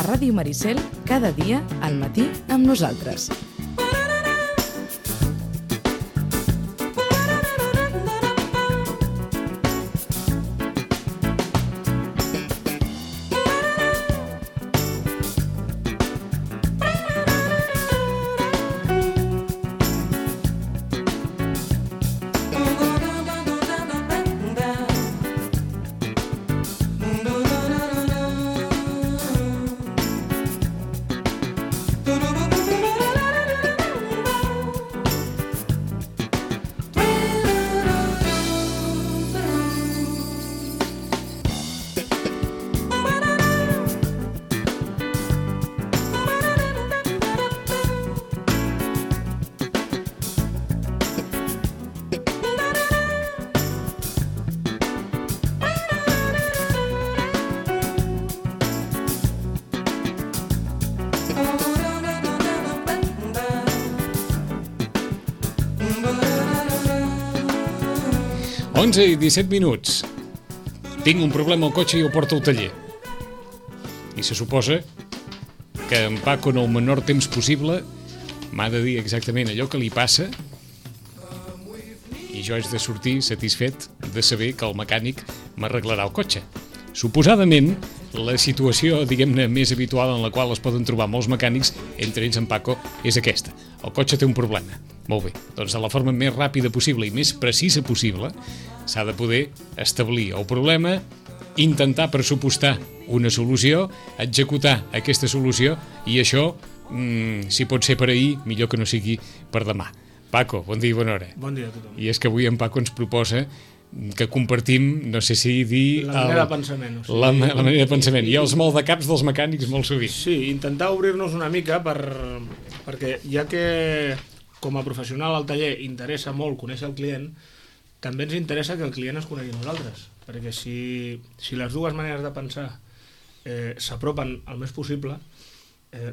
a Ràdio Maricel cada dia al matí amb nosaltres. Onze i 17 minuts. Tinc un problema al cotxe i el porto al taller. I se suposa que en Paco, en el menor temps possible, m'ha de dir exactament allò que li passa i jo haig de sortir satisfet de saber que el mecànic m'arreglarà el cotxe. Suposadament, la situació, diguem-ne, més habitual en la qual es poden trobar molts mecànics, entre ells en Paco, és aquesta. El cotxe té un problema. Molt bé, doncs de la forma més ràpida possible i més precisa possible s'ha de poder establir el problema, intentar pressupostar una solució, executar aquesta solució i això, si pot ser per ahir, millor que no sigui per demà. Paco, bon dia i bona hora. Bon dia a tothom. I és que avui en Paco ens proposa que compartim, no sé si dir... La manera de pensament. O sigui, la manera de pensament. I els maldecaps dels mecànics molt sovint. Sí, intentar obrir-nos una mica perquè ja que com a professional al taller interessa molt conèixer el client, també ens interessa que el client es conegui a nosaltres. Perquè si les dues maneres de pensar s'apropen el més possible,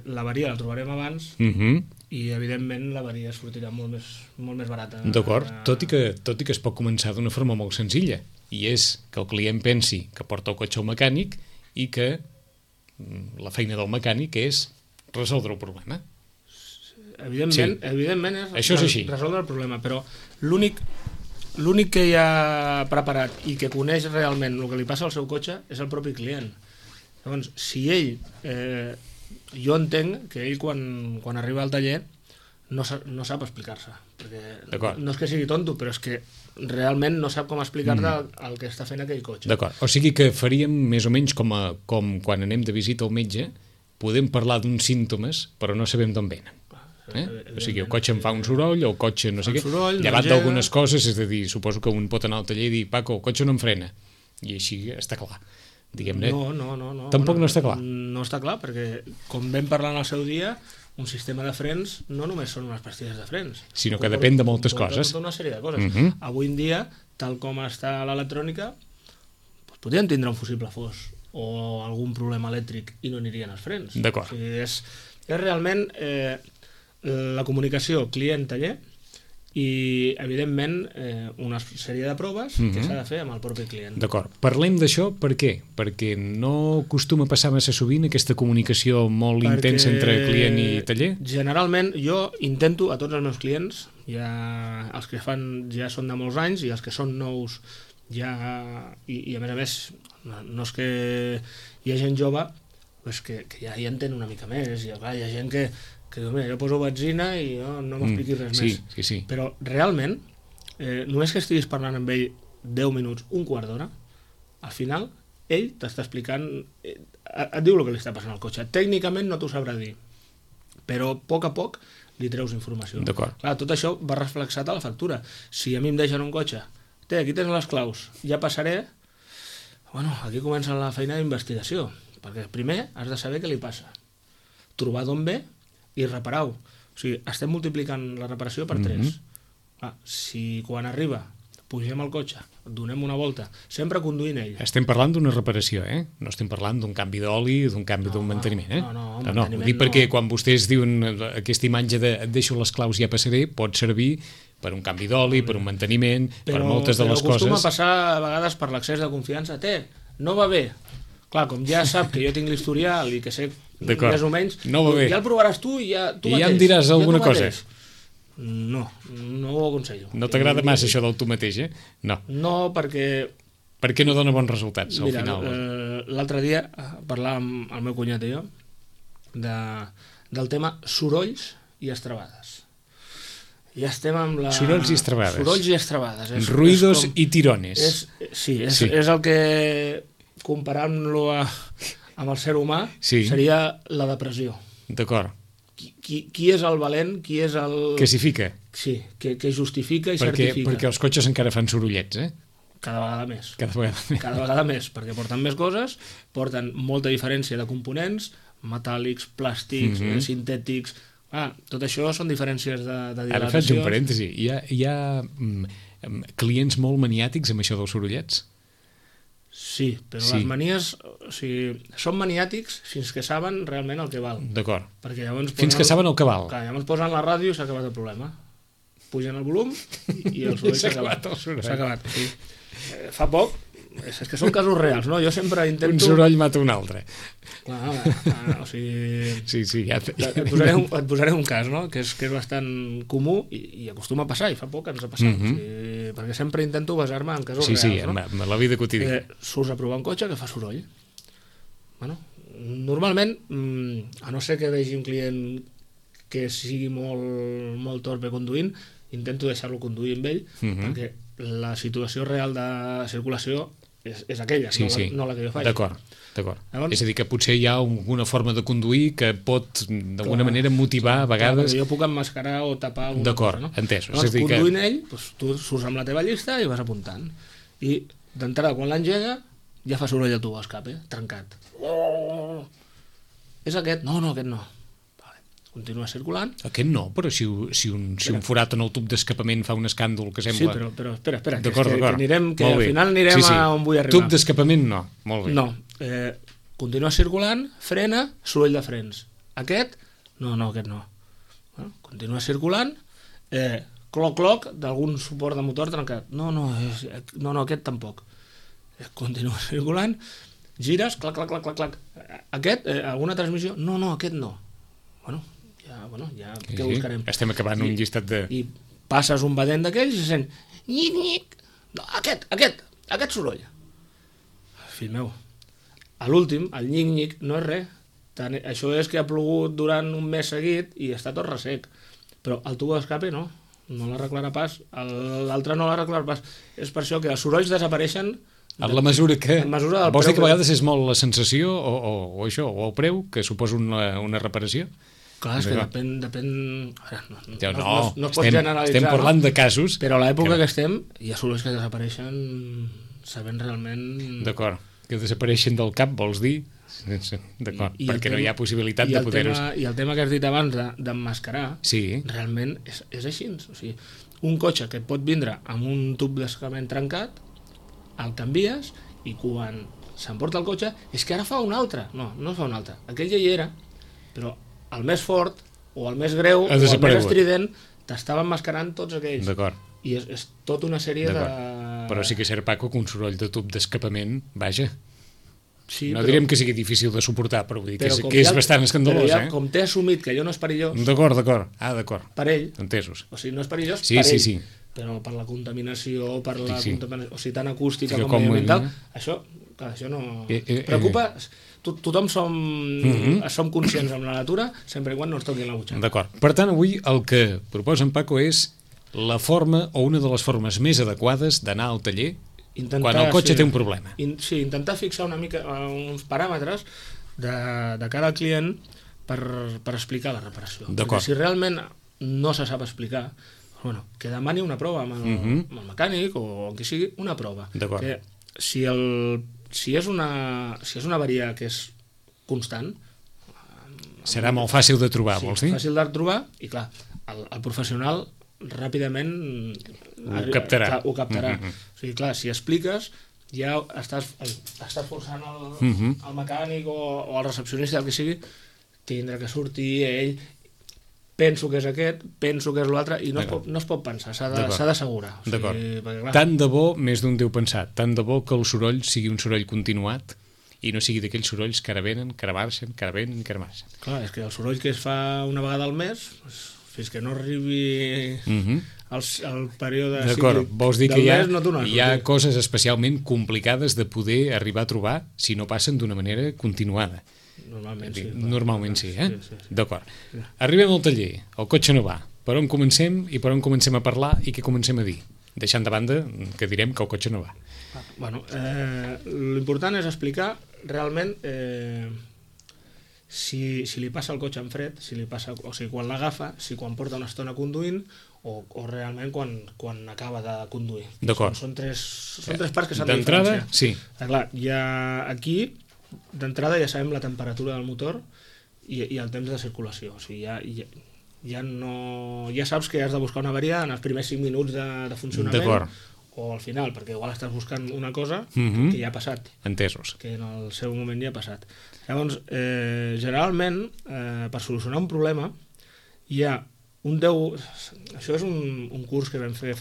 l'avaria la trobarem abans i evidentment l'avaria sortirà molt més barata. D'acord, tot i que es pot començar d'una forma molt senzilla, i és que el client pensi que porta el cotxe al mecànic i que la feina del mecànic és resoldre el problema. Evidentment és resoldre el problema, però l'únic que hi ha preparat i que coneix realment el que li passa al seu cotxe és el propi client. Llavors, si ell... jo entenc que ell quan arriba al taller no sap explicar-se, perquè no és que sigui tonto, però és que realment no sap com explicar-te el que està fent aquell cotxe. D'acord, o sigui que faríem més o menys com quan anem de visita al metge, podem parlar d'uns símptomes però no sabem d'on venen. O sigui, el cotxe em fa un soroll, el cotxe no sé què, llevat d'algunes coses, és a dir, suposo que un pot anar al taller i dir, Paco, el cotxe no em frena, i així està clar. No. Tampoc no està clar. No està clar, perquè com vam parlar en el seu dia, un sistema de frens no només són unes pastilles de frens, sinó que depèn de moltes coses. Tota una sèrie de coses. Avui en dia, tal com està l'electrònica, podríem tindre un fusible fos o algun problema elèctric i no anirien els frens. D'acord. O sigui, és realment la comunicació client-taller i, evidentment, una sèrie de proves que s'ha de fer amb el propi client. D'acord. Parlem d'això per què? Perquè no acostuma a passar massa sovint aquesta comunicació molt intensa entre client i taller? Generalment, jo intento a tots els meus clients, els que fan ja són de molts anys i els que són nous ja... I a més, no és que hi ha gent jove que ja hi entén una mica més. Hi ha gent que diu, mira, jo poso benzina i no m'expliquis res més. Sí. Però realment, només que estiguis parlant amb ell 10 minuts, un quart d'hora, al final, ell t'està explicant, et diu el que li està passant al cotxe. Tècnicament no t'ho sabrà dir, però a poc li treus informació. D'acord. Clar, tot això va reflexat a la factura. Si a mi em deixen un cotxe, aquí tens les claus, ja passaré, aquí comença la feina d'investigació, perquè primer has de saber què li passa, trobar d'on ve i reparar-ho. O sigui, estem multiplicant la reparació per 3. Si quan arriba pugem al cotxe, donem una volta, sempre conduint ell. Estem parlant d'una reparació, no estem parlant d'un canvi d'oli o d'un canvi d'un manteniment. No, ho dic perquè quan vostès diuen aquesta imatge de et deixo les claus i ja passaré, pot servir per un canvi d'oli, per un manteniment, per moltes de les coses. Però acostuma a passar a vegades per l'excés de confiança. No va bé. clar, com ja sap que jo tinc l'historial i que sé més o menys, no va bé. Ja el provaràs tu i tu mateix. Ja em diràs alguna cosa. No ho aconsello. No t'agrada massa això del tu mateix, eh? No. No, perquè... Per què no dona bons resultats, al final? L'altre dia parlàvem el meu cunyat i jo del tema sorolls i estrabades. Ja estem amb la... Sorolls i estrabades. Sorolls i estrabades. Ruidos i tirones. És el que, comparant-lo amb el ser humà, seria la depressió. D'acord. Qui és el valent, qui és el... Que s'hi fica. Sí, que justifica i certifica. Perquè els cotxes encara fan sorollets, eh? Cada vegada més. Cada vegada més, perquè porten més coses, porten molta diferència de components, metàl·lics, plàstics, sintètics... tot això són diferències de dilatació. Ara faig un parèntesi. Hi ha clients molt maniàtics amb això dels sorollets? Sí, però les manies... O sigui, són maniàtics fins que saben realment el que val. D'acord. Fins que saben el que val. Clar, llavors posen la ràdio i s'ha acabat el problema. Pugen el volum i el soroll s'ha acabat. S'ha acabat, sí. Fa poc, és que són casos reals, no? Jo sempre intento... Un soroll mata un altre. Clar, o sigui... Sí, ja... Et posaré un cas, no? Que és bastant comú i acostuma a passar, i fa poc ens ha passat. Perquè sempre intento basar-me en casos reals, no? Sí, en la vida quotidiana. Surts a provar un cotxe que fa soroll. Bueno, normalment, a no ser que vegi un client que sigui molt torpe conduint, intento deixar-lo conduir amb ell, perquè la situació real de circulació és aquella, no la que jo faig. D'acord. És a dir, que potser hi ha alguna forma de conduir que pot d'alguna manera motivar a vegades... Jo puc emmascarar o tapar alguna cosa, no? D'acord, entès. Llavors, conduint ell, tu surts amb la teva llista i vas apuntant. I d'entrada, quan l'engega, ja fa soroll el tubo d'escape, trencat. És aquest? No, aquest no. Continua circulant. Aquest no, però si un forat en el tub d'escapament fa un escàndol que sembla... Sí, però espera, d'acord. Que al final anirem a on vull arribar. Tub d'escapament no, molt bé. No, continua circulant, frena, soroll de frens. Aquest? No, aquest no. Continua circulant, cloc, d'algun suport de motor trencat. No, aquest tampoc. Continua circulant, gires, clac. Aquest, alguna transmissió? No, aquest no. Ja què buscarem? Estem acabant un llistat de... I passes un badent d'aquells i se sent nyic. No, aquest soroll. Fill meu, a l'últim, el nyic no és res. Això és que ha plogut durant un mes seguit i està tot ressec. Però el tubo d'escape no l'arreglarà pas. L'altre no l'arreglarà pas. És per això que els sorolls desapareixen en la mesura que... Vols dir que a vegades és molt la sensació o això, o el preu que suposa una reparació? Clar, és que depèn... No es pot generalitzar. Estem parlant de casos... Però a l'època que estem hi ha sorolls que desapareixen sabent realment... D'acord, que desapareixen del cap, vols dir? D'acord, perquè no hi ha possibilitat de poder-ho... I el tema que has dit abans d'emmascarar, realment és així. O sigui, un cotxe que et pot vindre amb un tub d'escapament trencat, el canvies i quan s'emporta el cotxe és que ara fa un altre. No fa un altre. Aquell ja hi era, però el més fort o el més greu o el més estrident t'estava emmascarant tots aquells. D'acord. I és tota una sèrie de... Però sí que és cert, Paco, que un soroll de tub d'escapament, vaja, no direm que sigui difícil de suportar, però vull dir que és bastant escandalós. Però com t'he assumit que allò no és perillós... D'acord. Per ell. Entesos. O sigui, no és perillós per ell. Sí. Però per la contaminació, per la contaminació, o sigui, tant acústica com mediambiental, això no... Preocupa... Tothom som conscients amb la natura sempre i quan no ens toqui la butxaca. D'acord. Per tant, avui el que proposa en Paco és la forma o una de les formes més adequades d'anar al taller quan el cotxe té un problema. Sí, intentar fixar una mica uns paràmetres de cada client per explicar la reparació. Perquè si realment no se sap explicar, que demani una prova amb el mecànic o qui sigui, una prova. D'acord. Si és una avaria que és constant... Serà molt fàcil de trobar, vols dir? Sí, fàcil de trobar i clar, el professional ràpidament ho captarà. O sigui, clar, si expliques ja estàs forçant el mecànic o el recepcionista, el que sigui, tindrà que sortir ell... Penso que és aquest, penso que és l'altre, i no es pot pensar, s'ha d'assegurar. D'acord. Tant de bo, més d'un deu pensat, tant de bo que el soroll sigui un soroll continuat i no sigui d'aquells sorolls que ara venen, que ara marxen, que ara venen, que ara marxen. Clar, és que el soroll que es fa una vegada al mes, fins que no arribi el període D'acord, cíclic vols dir del que mes, no t'ho hi ha coses especialment complicades de poder arribar a trobar si no passen d'una manera continuada. Normalment sí. Normalment sí, eh? Sí. D'acord. Arribem al taller, el cotxe no va. Per on comencem i per on comencem a parlar i què comencem a dir? Deixant de banda que direm que el cotxe no va. Bueno, l'important és explicar realment si li passa el cotxe en fred, si li passa, o sigui, quan l'agafa, si quan porta una estona conduint o realment quan acaba de conduir. D'acord. Són tres parts que s'han de diferenciar. D'entrada, sí. Clar, aquí, d'entrada ja sabem la temperatura del motor i el temps de circulació. O sigui, ja saps que has de buscar una avaria en els primers 5 minuts de funcionament o al final, perquè igual estàs buscant una cosa que ja ha passat. Entesos. Que en el seu moment ja ha passat. Llavors, generalment, per solucionar un problema, hi ha un 10... Això és un curs que vam fer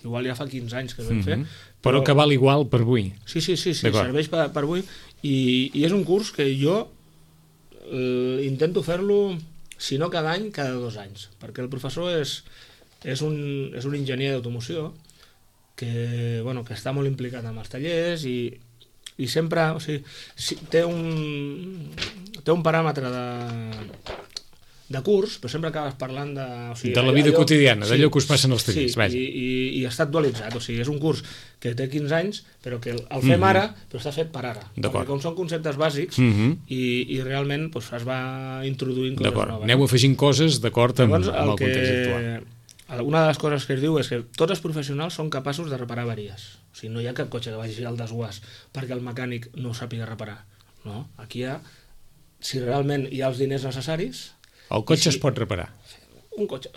igual ja fa 15 anys que vam fer. Però que val igual per avui. Sí, serveix per avui. I és un curs que jo intento fer-lo, si no cada any, cada 2 anys. Perquè el professor és un enginyer d'automoció que està molt implicat amb els tallers i sempre té un paràmetre de curs, però sempre acabes parlant de la vida quotidiana, d'allò que us passen als tallers. I està actualitzat, és un curs que té 15 anys, però que el fem ara, però està fet per ara, perquè com són conceptes bàsics i realment es va introduint coses noves. Aneu afegint coses d'acord amb el context actual. Una de les coses que es diu és que tots els professionals són capaços de reparar avaries. O sigui, no hi ha cap cotxe que vagi al desguàs perquè el mecànic no ho sàpiga reparar. No, aquí si realment hi ha els diners necessaris... El cotxe es pot reparar. Un cotxe,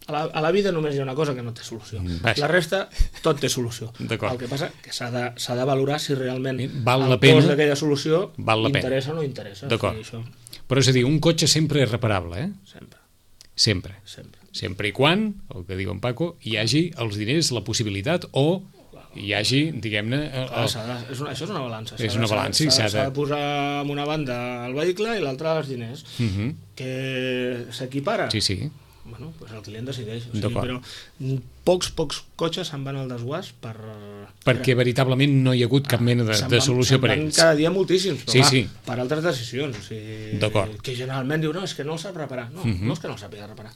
a la vida només hi ha una cosa que no té solució. La resta, tot té solució. El que passa que s'ha de valorar si realment el cost d'aquella solució interessa o no interessa. D'acord. Però és a dir, un cotxe sempre és reparable, eh? Sempre. Sempre i quan, el que diu en Paco, hi hagi els diners, la possibilitat o hi hagi, diguem-ne... Això és una balança. És una balança i s'ha de posar en una banda el vehicle i l'altra els diners. Que s'equipara? Sí. Bueno, el client decideix. Però pocs cotxes se'n van al desguàs perquè veritablement no hi ha hagut cap mena de solució per ells. Cada dia moltíssims, però per altres decisions. Que generalment diu, no, és que no el sap reparar. No és que no el sàpiga reparar.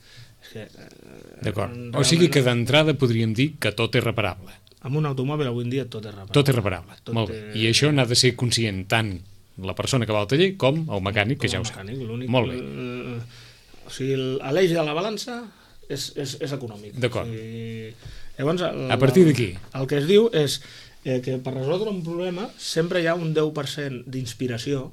D'acord. O sigui que d'entrada podríem dir que tot és reparable. Amb un automòbil avui en dia tot és reparable. Tot és reparable. Molt bé. I això n'ha de ser conscient tant la persona que va al taller com el mecànic, que ja ho sap. Molt bé. O sigui, l'eix de la balança és econòmic. D'acord. Llavors, a partir d'aquí? El que es diu és que per resoldre un problema sempre hi ha un 10% d'inspiració,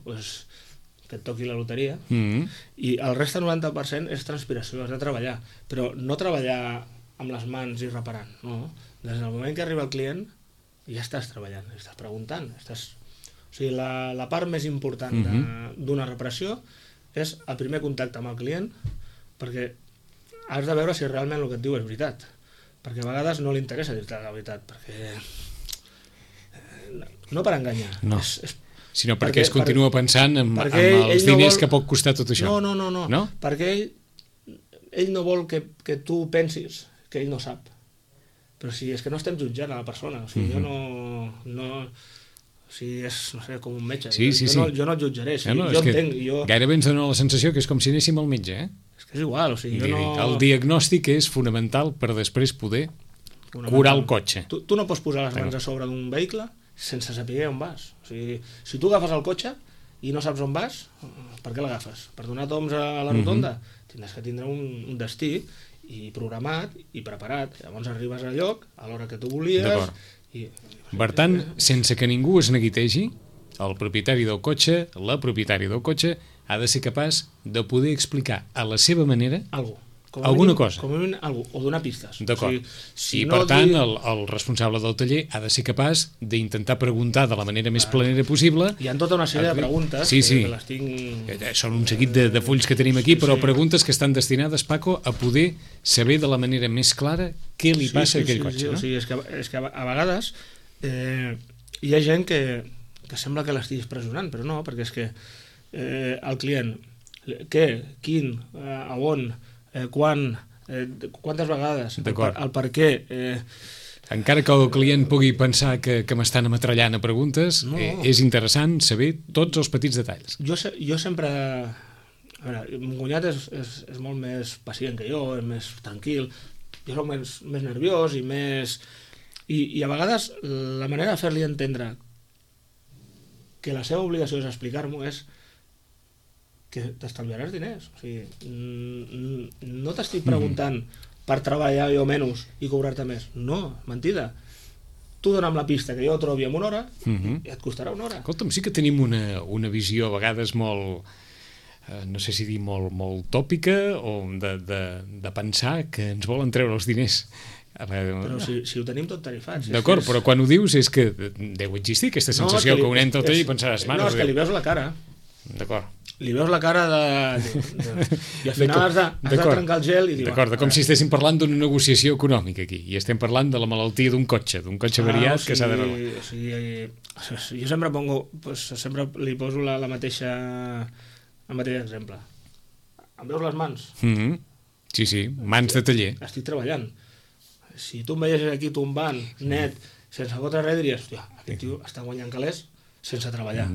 que et toqui la loteria, i el reste 90% és transpiració, has de treballar, però no treballar amb les mans i reparant, no. Des del moment que arriba el client ja estàs treballant, estàs preguntant, O sigui, la part més important d'una reparació és el primer contacte amb el client, perquè has de veure si realment el que et diu és veritat, perquè a vegades no li interessa dir-te la veritat, perquè no per enganyar, sinó perquè es continua pensant amb els diners que pot costar tot això. No, perquè ell no vol que tu pensis que ell no sap, però si és que no estem jutjant a la persona, o sigui, jo no és, no sé, com un metge. Jo no et jutjaré, jo entenc. Gairebé ens dona la sensació que és com si anéssim al metge, eh? És que és igual, o sigui, el diagnòstic és fonamental per després poder curar el cotxe. Tu no pots posar les mans a sobre d'un vehicle sense saber on vas. O sigui, si tu agafes el cotxe i no saps on vas, per què l'agafes? Per donar toms a la rotonda? Tindràs que tindre un destí i programat i preparat. Llavors arribes al lloc a l'hora que tu volies. Per tant, sense que ningú es neguitegi, el propietari del cotxe, la propietària del cotxe, ha de ser capaç de poder explicar a la seva manera alguna cosa. Com a mínim, o donar pistes. D'acord. I per tant, el responsable del taller ha de ser capaç d'intentar preguntar de la manera més planera possible. Hi ha tota una sèrie de preguntes que les tinc... Són un seguit de fulls que tenim aquí, però preguntes que estan destinades, Paco, a poder saber de la manera més clara què li passa a aquell cotxe. És que a vegades hi ha gent que que sembla que l'estiguis pressionant, però no, perquè és que el client, què, quin, a on, quan, quantes vegades, el per què... Encara que el client pugui pensar que m'estan ametrallant a preguntes, és interessant saber tots els petits detalls. Jo sempre... A veure, mon cunyat és molt més pacient que jo, és més tranquil, jo soc més nerviós i més... I a vegades la manera de fer-li entendre que la seva obligació és explicar-m'ho és que t'estalviaràs diners. O sigui, no t'estic preguntant per treballar jo menys i cobrar-te més. No, mentida. Tu dona'm la pista que jo trobi en una hora i et costarà una hora. Escolta'm, sí que tenim una visió a vegades molt... no sé si dir molt tòpica o de pensar que ens volen treure els diners. Però si ho tenim tot tarifat. D'acord, però quan ho dius és que deu existir aquesta sensació que un entra al taller i pensaràs... No, és que li veus la cara. D'acord. Li veus la cara i al final has de trencar el gel i dir... D'acord, com si estéssim parlant d'una negociació econòmica aquí i estem parlant de la malaltia d'un cotxe variat que s'ha d'arreglar. Jo sempre li poso el mateix exemple. Em veus les mans? Sí, mans de taller. Estic treballant. Si tu em veiessis aquí tombant, net, sense fotre res, diries, hòstia, aquest tio està guanyant calés sense treballar.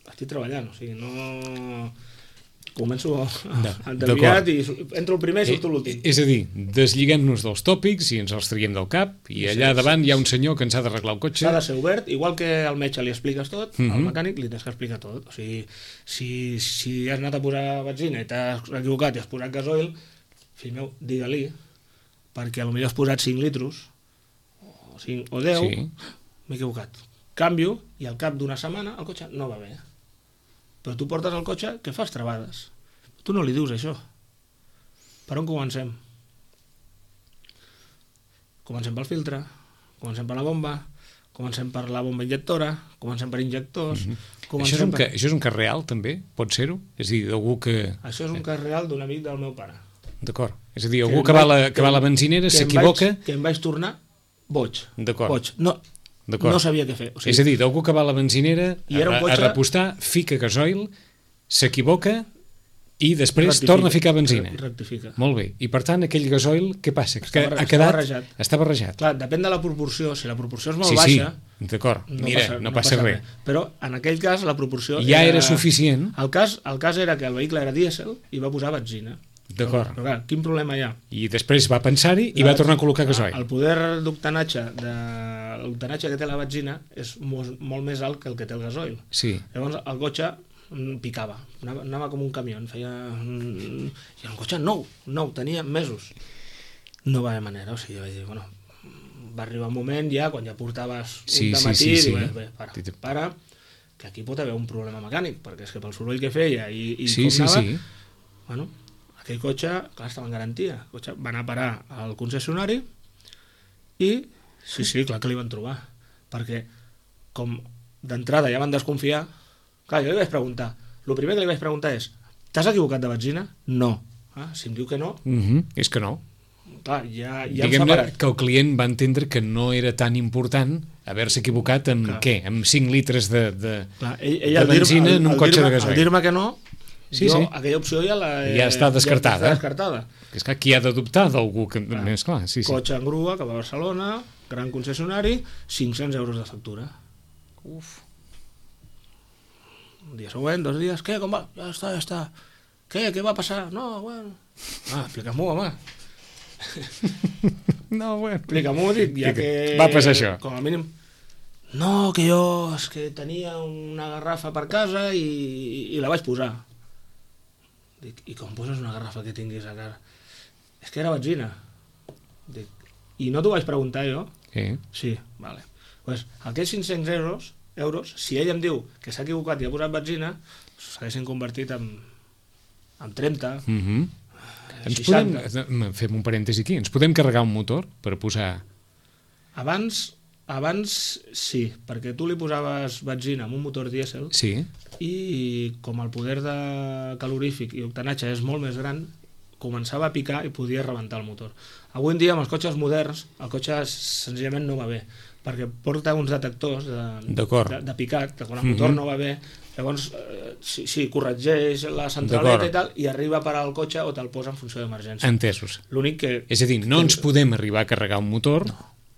Estic treballant, o sigui, no... Començo endeviat i entro el primer i surto l'últim. És a dir, desliguem-nos dels tòpics i ens els traiem del cap i allà davant hi ha un senyor que ens ha d'arreglar el cotxe. S'ha de ser obert, igual que al metge li expliques tot, al mecànic li tens que explicar tot. O sigui, si has anat a posar benzina i t'has equivocat i has posat gasoil, fill meu, digue-li, perquè potser has posat 5 litros o 5 o 10, m'he equivocat. Canvio i al cap d'una setmana el cotxe no va bé. Però tu portes el cotxe que fas travades. Tu no li dius això. Per on comencem? Comencem pel filtre, comencem per la bomba, comencem per la bomba injectora, comencem per injectors... Això és un cas real, també? Pot ser-ho? És a dir, d'algú que... Això és un cas real d'un amic del meu pare. D'acord. És a dir, algú que va a la benzinera s'equivoca... Que em vaig tornar boig. D'acord. Boig. No sabia què fer. O sigui, és a dir, d'algú que va a la benzinera a repostar, fica gasoil, s'equivoca i després torna a ficar benzina. Rectifica. Molt bé. I per tant, aquell gasoil, què passa? Està barrejat. Clar, depèn de la proporció. Si la proporció és molt baixa... Sí, d'acord. Mira, no passa res. Però en aquell cas la proporció... Ja era suficient. El cas era que el vehicle era dièsel i va posar benzina. D'acord. Però clar, quin problema hi ha? I després va pensar-hi i va tornar a col·locar gasoil. El poder d'octanatge que té la benzina és molt més alt que el que té el gasoil. Sí. Llavors el cotxe picava, anava com un camió, feia... I el cotxe nou, tenia mesos. No va haver manera, o sigui, vaig dir, bueno, va arribar un moment ja, quan ja portaves un dematí, dic, para, que aquí pot haver un problema mecànic, perquè és que pel soroll que feia i com anava, bueno, aquell cotxe, clar, estava en garantia. El cotxe va anar a parar al concessionari i, sí, clar que li van trobar. Perquè, com d'entrada ja van desconfiar, clar, jo li vaig preguntar. El primer que li vaig preguntar és, t'has equivocat de benzina? No. Si em diu que no... És que no. Clar, ja hem Diguem-ne separat. que el client va entendre que no era tan important haver-se equivocat amb què? Amb 5 litres de benzina en un cotxe de gasoil. Al dir-me que no, aquella opció ja està descartada. És que qui ha d'adoptar d'algú que... Més clar, Cotxe en grua, cap a Barcelona, gran concessionari, 500 euros de factura. Uf. Un dia següent, 2 dies, què, com va? Ja està. Què va passar? No, bueno... Explica-m'ho, home. No, bueno. Explica-m'ho, dic, ja que... Va passar això. Com a mínim... No, que jo és que tenia una garrafa per casa i la vaig posar. Dic, i com poses una garrafa que tinguis a casa? És que era benzina. Dic, i no t'ho vaig preguntar jo? Sí, vale. Pues, aquests 500 euros, si ell em diu que s'ha equivocat i ha posat benzina, s'haguessin convertit en 30, 60. Fem un parèntesi aquí. Ens podem carregar un motor per posar... Abans sí, perquè tu li posaves benzina amb un motor dièsel i com el poder de calorífic i octanatge és molt més gran, començava a picar i podia rebentar el motor. Avui en dia amb els cotxes moderns el cotxe senzillament no va bé, perquè porta uns detectors de picat, que quan el motor no va bé, llavors sí, corregeix la centraleta i tal, i arriba a parar el cotxe o te'l posa en funció d'emergència. Entesos. L'únic que... És a dir, no ens podem arribar a carregar un motor...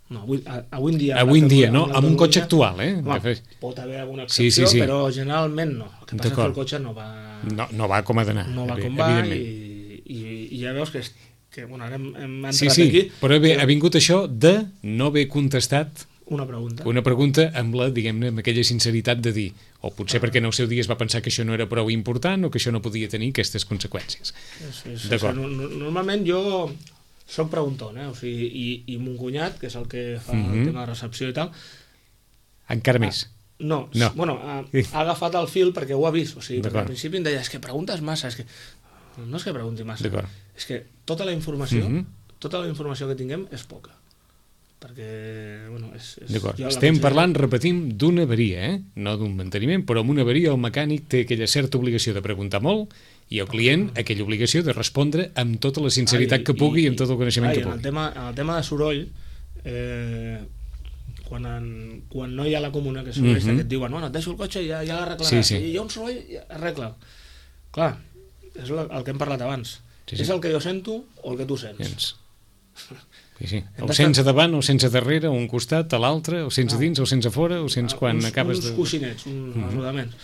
No, avui en dia... Avui en dia, no? Amb un cotxe actual, Home, pot haver alguna excepció, sí. Però generalment no. El que passa és que el cotxe no va... No va com ha d'anar. No va com va i ja veus que bueno, ara hem entrat aquí... Però ha vingut això de no haver contestat una pregunta amb la, diguem-ne, amb aquella sinceritat de dir, o potser perquè en el seu dia es va pensar que això no era prou important o que això no podia tenir aquestes conseqüències. D'acord. Normalment jo soc pregunton, o sigui, i mon cunyat, que és el que fa el tema de recepció i tal... Encara més? No. Bueno, ha agafat el fil perquè ho ha vist, o sigui, perquè al principi em deia, és que preguntes massa, és que... No és que pregunti massa, és que tota la informació que tinguem és poca. Perquè, bueno, D'acord, estem parlant, repetim, d'una avaria, no d'un manteniment, però amb una avaria el mecànic té aquella certa obligació de preguntar molt i el client aquella obligació de respondre amb tota la sinceritat que pugui i amb tot el coneixement que pugui. En el tema de soroll, quan no hi ha la comunicació que et diuen, no, et deixo el cotxe i ja l'arreglaràs, i hi ha un soroll, arregla. Clar, és el que hem parlat abans. És el que jo sento o el que tu sents. Sí. O sense davant, o sense darrere, o un costat, a l'altre, o sense dins, o sense fora, o sense quan acabes de... Uns coixinets, uns rodaments.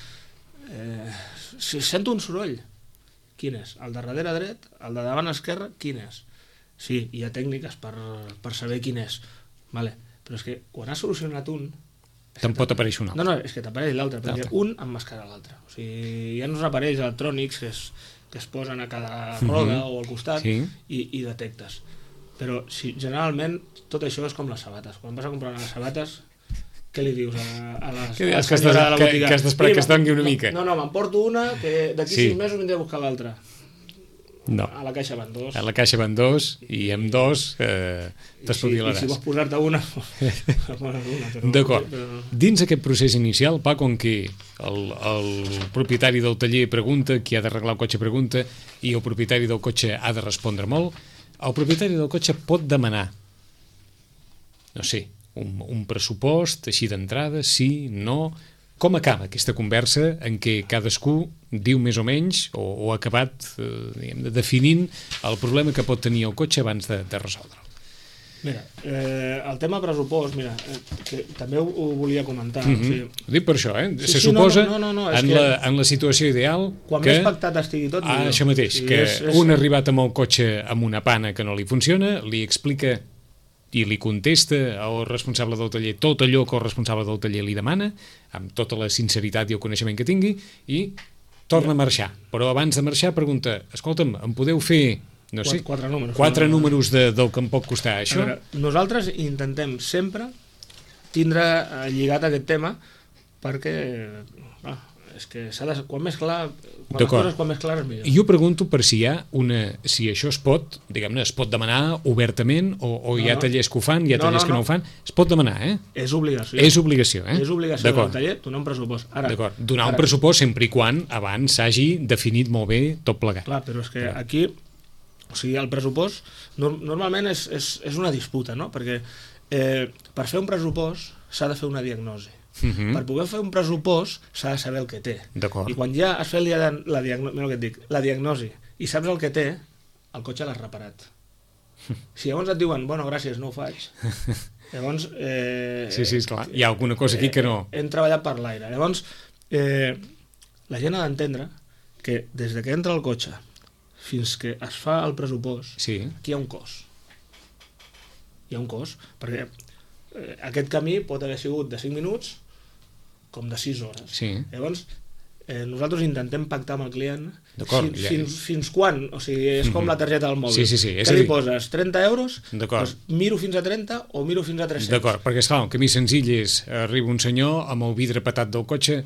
Si sento un soroll, quin és? El de darrere dret, el de davant esquerre, quin és? Sí, hi ha tècniques per saber quin és. Vale. Però és que quan has solucionat un... Te'n pot aparèixer un altre. No, és que t'apareix l'altre, perquè un emmascara l'altre. O sigui, hi ha uns aparells electrònics que es posen a cada roda o al costat i detectes. Però generalment tot això és com les sabates. Quan vas a comprar unes sabates, què li dius a la senyora de la botiga? Que has d'esperar que es dongui una mica. No, m'emporto una, que d'aquí 6 mesos vindré a buscar l'altra. No. A la caixa van 2. A la caixa van 2 i amb 2 t'espavilaràs. I si vols posar-te una... D'acord. Dins aquest procés inicial, Paco, en què el propietari del taller pregunta, qui ha d'arreglar el cotxe pregunta i el propietari del cotxe ha de respondre molt, el propietari del cotxe pot demanar, no sé, un pressupost així d'entrada, sí, no... Com acaba aquesta conversa en què cadascú diu més o menys o ha acabat definint el problema que pot tenir el cotxe abans de resoldre'l? Mira, el tema pressupost, que també ho volia comentar. Ho dic per això, se suposa en la situació ideal quan més pactat estigui tot, millor. Això mateix, que un ha arribat amb el cotxe amb una pana que no li funciona, li explica i li contesta al responsable del taller tot allò que el responsable del taller li demana, amb tota la sinceritat i el coneixement que tingui, i torna a marxar. Però abans de marxar pregunta, escolta'm, em podeu fer... No sé, 4 números del que em pot costar això? Veure, nosaltres intentem sempre tindre lligat aquest tema perquè és que s'ha de... Quan més clar, les coses quan més clares millor. Jo pregunto per si hi ha si això es pot, diguem-ne, es pot demanar obertament o hi ha tallers que ho fan, hi ha tallers que no ho fan, es pot demanar, És obligació. És obligació, És obligació del taller donar un pressupost. D'acord, donar un pressupost sempre i quan abans s'hagi definit molt bé tot plegat. Clar, però és que aquí, o sigui, el pressupost normalment és una disputa, no? Perquè per fer un pressupost s'ha de fer una diagnosi. Per poder fer un pressupost s'ha de saber el que té. I quan ja has fet la diagnosi i saps el que té, el cotxe l'has reparat. Si llavors et diuen, bueno, gràcies, no ho faig, llavors... Sí, esclar, hi ha alguna cosa aquí que no... Hem treballat per l'aire. Llavors, la gent ha d'entendre que des que entra el cotxe fins que es fa el pressupost, aquí hi ha un cost. Hi ha un cost, perquè aquest camí pot haver sigut de 5 minuts com de 6 hores. Llavors, nosaltres intentem pactar amb el client fins quan, o sigui, és com la targeta del mòbil. Que li poses 30 euros, doncs miro fins a 30 o miro fins a 300. D'acord, perquè esclar, un camí senzill és arriba un senyor amb el vidre patat del cotxe,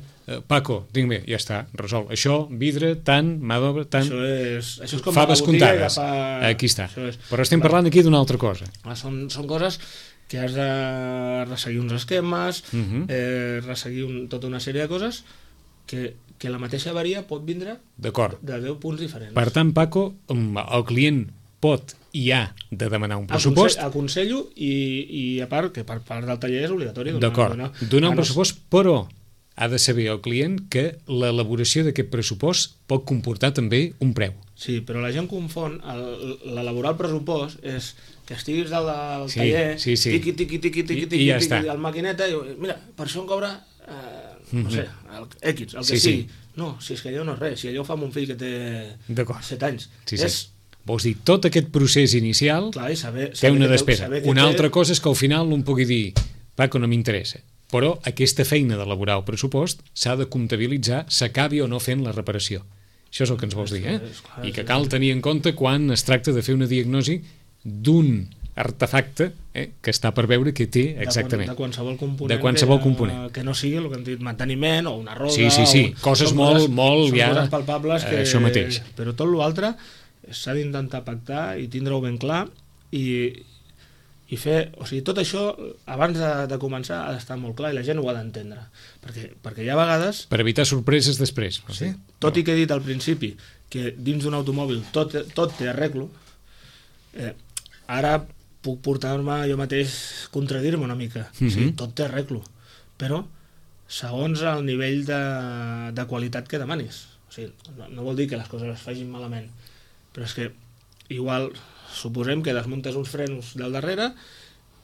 Paco, tinc bé, ja està, resol. Això, vidre, tant, mà d'obra, tant... Això és com faves comptades. Aquí està. Però estem parlant aquí d'una altra cosa. Són coses que has de resseguir uns esquemes, resseguir tota una sèrie de coses que la mateixa avaria pot vindre de 10 punts diferents. Per tant, Paco, el client pot i ha de demanar un pressupost. Aconsello i a part, que per part del taller és obligatori. D'acord, donar un pressupost, però ha de saber el client que l'elaboració d'aquest pressupost pot comportar també un preu. Sí, però la gent confon l'elaborar el pressupost és que estiguis dalt del taller, tiqui, ja està. al maquineta, i mira, per això em cobra, no sé, el X, el que sigui. No, si és que allò no és res, si allò ho fa mon fill que té 7 anys. Vols dir, tot aquest procés inicial té una despesa. Una altra cosa és que al final un pugui dir, Paco, no m'interessa. Però aquesta feina d'elaborar el pressupost s'ha de comptabilitzar, s'acabi o no fent la reparació. Això és el que ens vols dir, I que cal tenir en compte quan es tracta de fer una diagnosi d'un artefacte que està per veure què té exactament. De qualsevol component. Que no sigui el que hem dit, manteniment o una roda. Sí. Coses molt ja... Coses palpables que... Això mateix. Però tot l'altre s'ha d'intentar pactar i tindre-ho ben clar i fer... O sigui, tot això, abans de començar, ha d'estar molt clar i la gent ho ha d'entendre. Perquè hi ha vegades... Per evitar sorpreses després. Sí. Tot i que he dit al principi que dins d'un automòbil tot té arreglo, ara puc portar-me jo mateix contradir-me una mica. Sí, tot té arreglo. Però segons el nivell de qualitat que demanis. O sigui, no vol dir que les coses es facin malament, però és que igual suposem que desmuntes uns frenos del darrere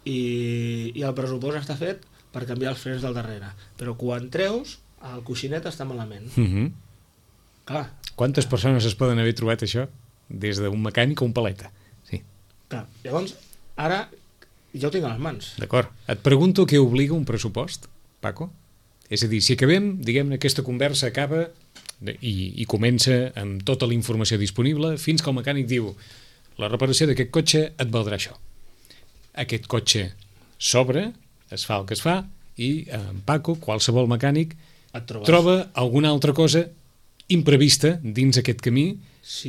i el pressupost està fet per canviar els frens del darrere, però quan treus el coixinet està malament. Clar. Quantes persones es poden haver trobat això? Des d'un mecànic o un paleta. Sí. Clar. Llavors, ara ja ho tinc a les mans. D'acord. Et pregunto què obliga un pressupost, Paco? És a dir, si acabem, diguem-ne, aquesta conversa acaba i comença amb tota la informació disponible fins que el mecànic diu la reparació d'aquest cotxe et valdrà això. Aquest cotxe s'obre, es fa el que es fa i en Paco, qualsevol mecànic, troba alguna altra cosa imprevista dins aquest camí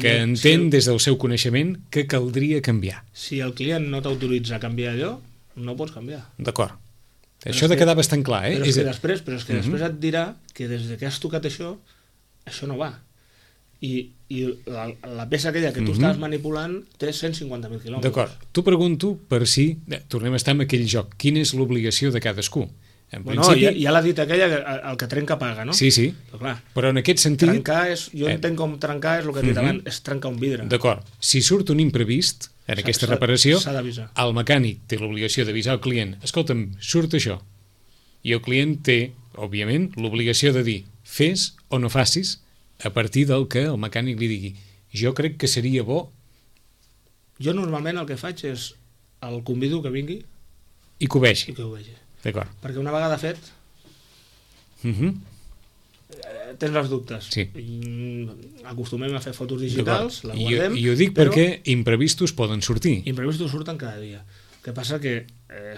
que entén des del seu coneixement que caldria canviar. Si el client no t'autoritza a canviar allò, no pots canviar. D'acord. Això ha de quedar bastant clar, Però és que després et dirà que des que has tocat això no va. I la peça aquella que tu estaves manipulant té 150.000 quilòmetres. D'acord. T'ho pregunto per si... Tornem a estar en aquell joc. Quina és l'obligació de cadascú? Ja l'ha dit aquella, el que trenca paga, no? Sí. Però en aquest sentit... Jo entenc com trencar és el que he dit abans, és trencar un vidre. D'acord. Si surt un imprevist en aquesta reparació, el mecànic té l'obligació d'avisar al client, escolta'm, surt això. I el client té, òbviament, l'obligació de dir fes o no facis a partir del que el mecànic li digui. Jo crec que seria bo... Jo normalment el que faig és el convido que vingui i que ho vegi. D'acord. Perquè una vegada fet tens els dubtes. Sí. Acostumem a fer fotos digitals, la guardem... I ho dic perquè imprevistos poden sortir. Imprevistos surten cada dia. El que passa que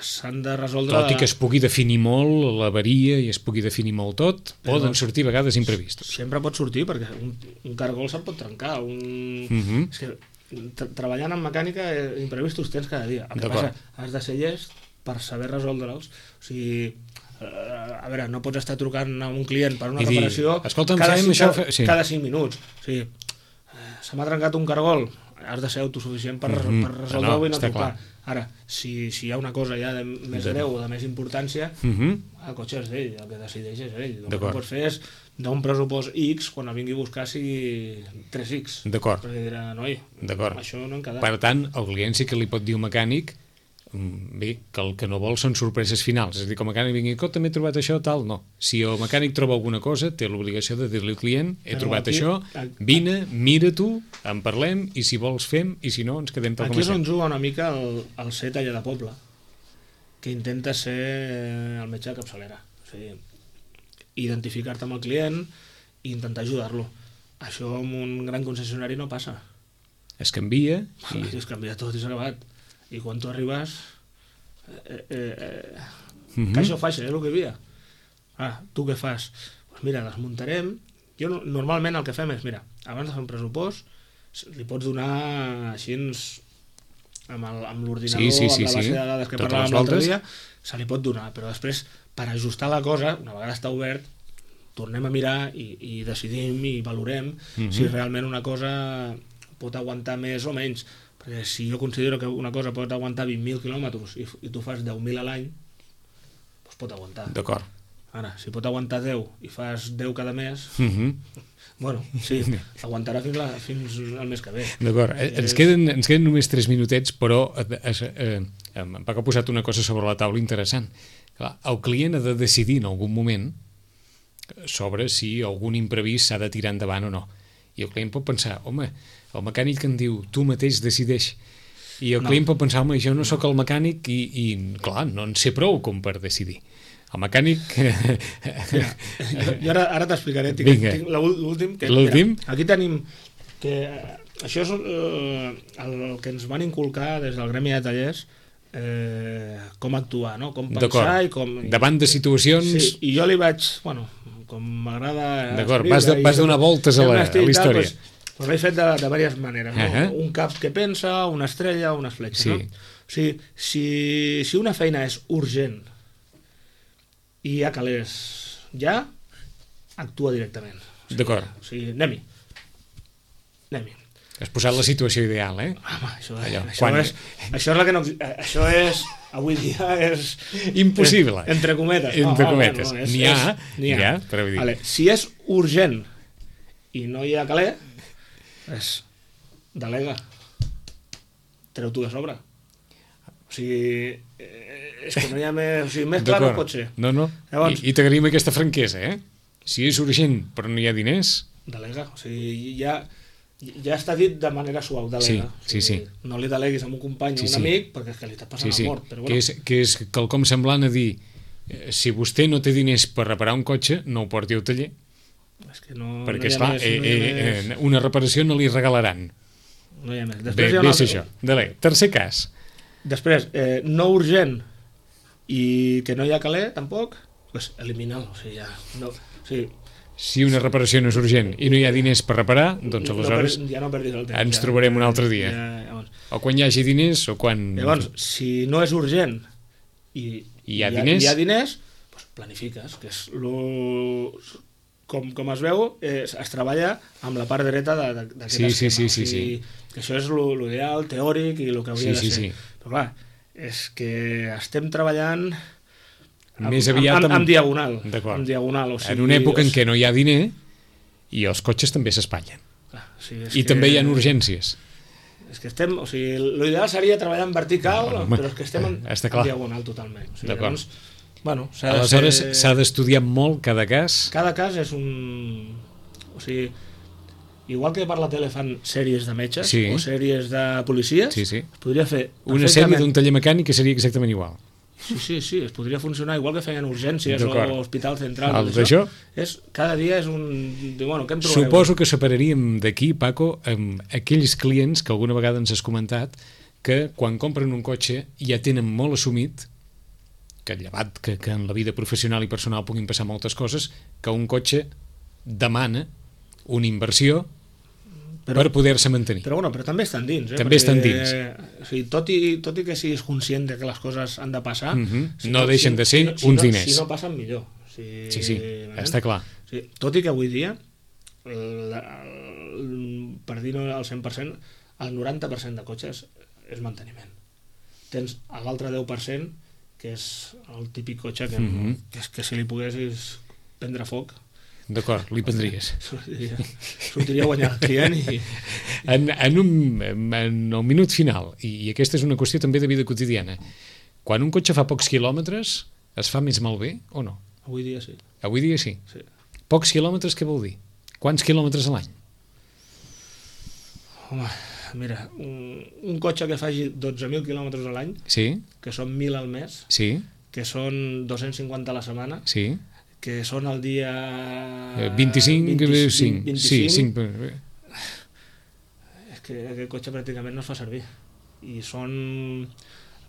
s'han de resoldre... Tot i que es pugui definir molt l'avaria i es pugui definir molt tot, poden sortir a vegades imprevistos. Sempre pot sortir, perquè un cargol se'n pot trencar. És que treballant en mecànica, imprevistos tens cada dia. El que passa, has de ser llest per saber resoldre'ls. O sigui, a veure, no pots estar trucant a un client per una reparació cada 5 minuts. O sigui, se m'ha trencat un cargol, has de ser autosuficient per resoldre-ho i no trucar. Ara, si hi ha una cosa ja de més greu o de més importància, el cotxe és d'ell, el que decideix és ell. El que no pots fer és d'un pressupost X quan el vingui a buscar sigui 3X. D'acord. Perquè dirà, noi, això no hem quedat. Per tant, el client sí que li pot dir un mecànic bé, que el que no vol són sorpreses finals. És a dir, que el mecànic vingui, també he trobat això, tal, no. Si el mecànic troba alguna cosa, té l'obligació de dir-li al client, he trobat això, vine, mira-t'ho, en parlem, i si vols fem, i si no, ens quedem tal com aquí és on juga una mica el ser taller de poble, que intenta ser el metge de capçalera. O sigui, identificar-te amb el client i intentar ajudar-lo. Això amb un gran concessionari no passa. Es canvia. Es canvia tot i s'ha acabat. I quan tu arribes caixa o faixa, és el que hi havia. Tu què fas? Pues mira, les muntarem. Jo normalment el que fem és, mira, abans de fer un pressupost li pots donar així amb l'ordinador, amb la base de dades que parlàvem l'altre dia, se li pot donar, però després per ajustar la cosa, una vegada està obert, tornem a mirar i decidim i valorem si realment una cosa pot aguantar més o menys. Perquè si jo considero que una cosa pot aguantar 20.000 quilòmetres i tu fas 10.000 a l'any, doncs pot aguantar. D'acord. Ara, si pot aguantar 10 i fas 10 cada mes, bueno, sí, aguantarà fins al mes que ve. D'acord. Ens queden només 3 minutets, però en Paco ha posat una cosa sobre la taula interessant. Clar, el client ha de decidir en algun moment sobre si algun imprevist s'ha de tirar endavant o no. I el client pot pensar, home, el mecànic que em diu, tu mateix decideix. I el client pot pensar, home, jo no sóc el mecànic i clar, no en sé prou com per decidir. El mecànic... Jo ara t'explicaré. Tinc l'últim. L'últim? Aquí tenim que això és el que ens van inculcar des del gremi de tallers, com actuar, no? Com pensar i com... Davant de situacions... Sí, i jo li vaig... Bueno, com m'agrada... D'acord, vas donar voltes a la història. Doncs l'he fet de diverses maneres. No? Un cap que pensa, una estrella, unes fletxes. Sí. No? O sigui, si una feina és urgent i hi ha calés ja, actua directament. D'acord. O sigui, anem-hi. Has posat la situació ideal, eh? Home, això és la que no... Això és... Avui dia és... Impossible. Entre cometes. Entre cometes. N'hi ha, però vull dir... Vale. Si és urgent i no hi ha calé, delega. Treu-t'ho de sobre. O sigui... És que no hi ha més... O sigui, més clar no pot ser. No. Llavors, I t'agraïm aquesta franquesa, eh? Si és urgent però no hi ha diners... Delega. O sigui, ja està dit de manera suau, delega. Sí. No li deleguis a un company o un amic perquè és que li està passant la mort. Però bueno. Que és quelcom semblant a dir si vostè no té diners per reparar un cotxe, no ho porti al taller. És que no, perquè, esclar, una reparació no li regalaran. No hi ha més. Bé, és això. Tercer cas. Després, no urgent i que no hi ha calé, tampoc, doncs elimina-lo. O sigui, ja... No, o sigui, si una reparació no és urgent i no hi ha diners per reparar, doncs aleshores ja no perdis el temps, ens trobarem un altre dia. O quan hi hagi diners o quan... Llavors, si no és urgent i hi ha diners, doncs planifiques, que és com es veu, es treballa amb la part dreta d'aquest esquema. Sí. Que això és l'ideal teòric i el que hauria de ser. Però clar, és que estem treballant... Més aviat en diagonal. D'acord. En diagonal. O sigui, en una època en què no hi ha diner i els cotxes també s'espatllen. I també hi ha urgències. És que estem... O sigui, l'ideal seria treballar en vertical, però és que estem en diagonal totalment. O sigui, d'acord. Bueno, aleshores s'ha d'estudiar molt cada cas? Cada cas és un... O sigui, igual que per la tele fan sèries de metges o sèries de policies, es podria fer... Una sèrie d'un taller mecànic que seria exactament igual. Sí, es podria funcionar igual que feien urgències o hospital central. Això? Cada dia és un... Bueno, què em trobareu? Suposo que separaríem d'aquí, Paco, amb aquells clients que alguna vegada ens has comentat que quan compren un cotxe ja tenen molt assumit que llevat que en la vida professional i personal puguin passar moltes coses, que un cotxe demana una inversió per poder-se mantenir. Però també estan dins. També estan dins. O sigui, tot i que siguis conscient de que les coses han de passar... no deixen de ser uns diners. Si no passen, millor. Sí, està clar. Tot i que avui dia, per dir-ho al 100%, el 90% de cotxes és manteniment. Tens l'altre 10%, que és el típic cotxe que si li poguessis prendre foc... D'acord, li prendries. Sortiria a guanyar el client i... En el minut final, i aquesta és una qüestió també de vida quotidiana, quan un cotxe fa pocs quilòmetres, es fa més malbé o no? Avui dia sí. Avui dia sí? Sí. Pocs quilòmetres què vol dir? Quants quilòmetres a l'any? Home, mira, un cotxe que faci 12.000 quilòmetres a l'any, que són 1.000 al mes, que són 250 a la setmana, que són el dia... 25. És que aquest cotxe pràcticament no es fa servir. I són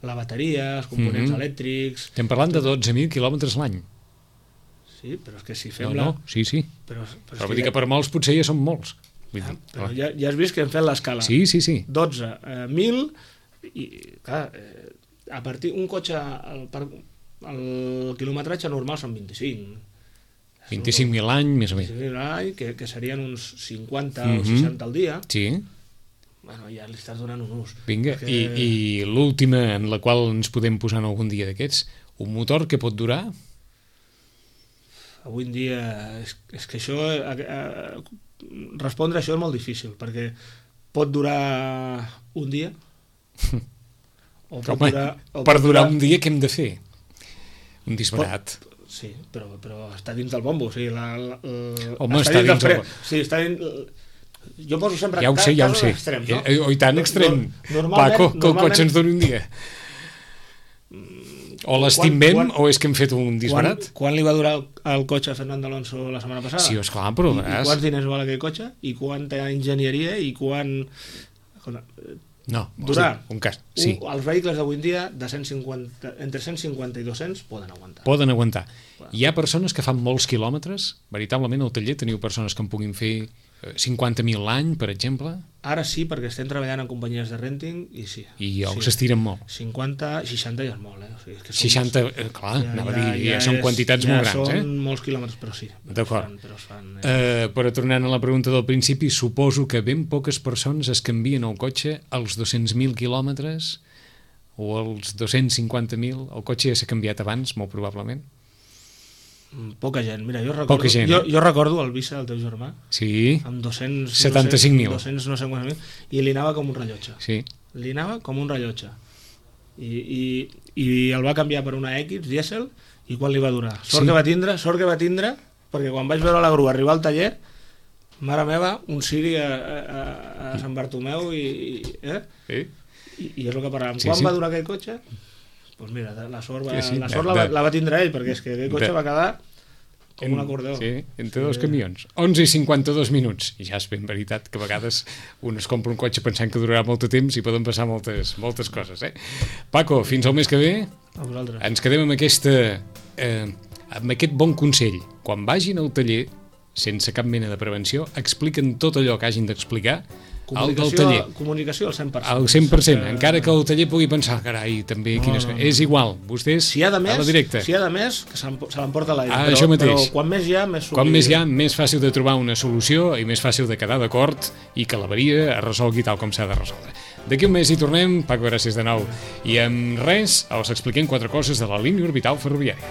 la bateria, els components elèctrics... Estem parlant de 12.000 quilòmetres l'any. Sí, però és que si fem sí. Però vull dir que per molts potser ja són molts. Però ja has vist que hem fet l'escala. Sí. 12, 1.000... I, clar, a partir un cotxe... El quilometratge normal són 25. 25.000 l'any, més o menys. 25.000 l'any, que serien uns 50 o 60 al dia. Sí. bueno, ja li estàs donant un ús. Vinga, perquè... i l'última en la qual ens podem posar en algun dia d'aquests, un motor que pot durar? Avui en dia és que això respondre a això és molt difícil, perquè pot durar un dia o pot per durar un dia què hem de fer? Un disbarat. Sí, però està dins del bombo, o sigui, home, està dins del bombo. Sí, està dins... Jo poso sempre... Ja ho sé. Extrem, no? I tant extrem. Paco, que el cotxe ens doni un dia. O l'estimem o és que hem fet un disbarat? Quan li va durar el cotxe a Fernando Alonso la setmana passada? Sí, esclar, però I quants diners val aquell cotxe? I quanta enginyeria? I quan... No, durar. Un cas, sí. Els vehicles d'avui en dia de 150, entre 150 i 200 poden aguantar. Poden aguantar. Hi ha persones que fan molts quilòmetres? Veritablement al taller teniu persones que en puguin fer 50.000 l'any, per exemple? Ara sí, perquè estem treballant en companyies de renting i sí. I els s'estiren molt. 50, 60 ja és molt, O sigui, és que 60, clar, anava a dir, ja són quantitats molt grans, Ja són molts quilòmetres, però sí. D'acord. Però tornant a la pregunta del principi, suposo que ben poques persones es canvien el cotxe als 200.000 quilòmetres o als 250.000. El cotxe ja s'ha canviat abans, molt probablement. Poca gent, mira, jo recordo, jo recordo el Visa del teu germà, sí, amb 75.000, 200 no sé quants mil, i li anava com un rellotge. Sí. Li anava com un rellotge. I el va canviar per una X dièsel, i quan li va durar? Sort que va tindre, perquè quan vaig veure la grua arribar al taller, mare meva, un Siri a Sant Bartomeu i és el que parlàvem. Quan va durar aquell cotxe? Doncs mira, la sort la va tindre ell, perquè és que aquell cotxe va quedar com un acordeó. Sí, entre dos camions. 11 i 52 minuts. I ja és ben veritat que a vegades un es compra un cotxe pensant que durarà molt de temps i poden passar moltes coses. Paco, fins al mes que ve. A vosaltres. Ens quedem amb aquest bon consell. Quan vagin al taller, sense cap mena de prevenció, expliquen tot allò que hagin d'explicar al taller. Comunicació al 100%. Al 100%, encara que el taller pugui pensar, carai, també quines... És igual, vostès a la directa. Si hi ha de més, que se l'emporta a l'aire. Però quan més hi ha, més fàcil de trobar una solució i més fàcil de quedar d'acord i que l'avaria es resolgui tal com s'ha de resoldre. D'aquí un mes hi tornem. Paco, gràcies de nou. I amb res, us expliquem 4 coses de la línia orbital ferroviària.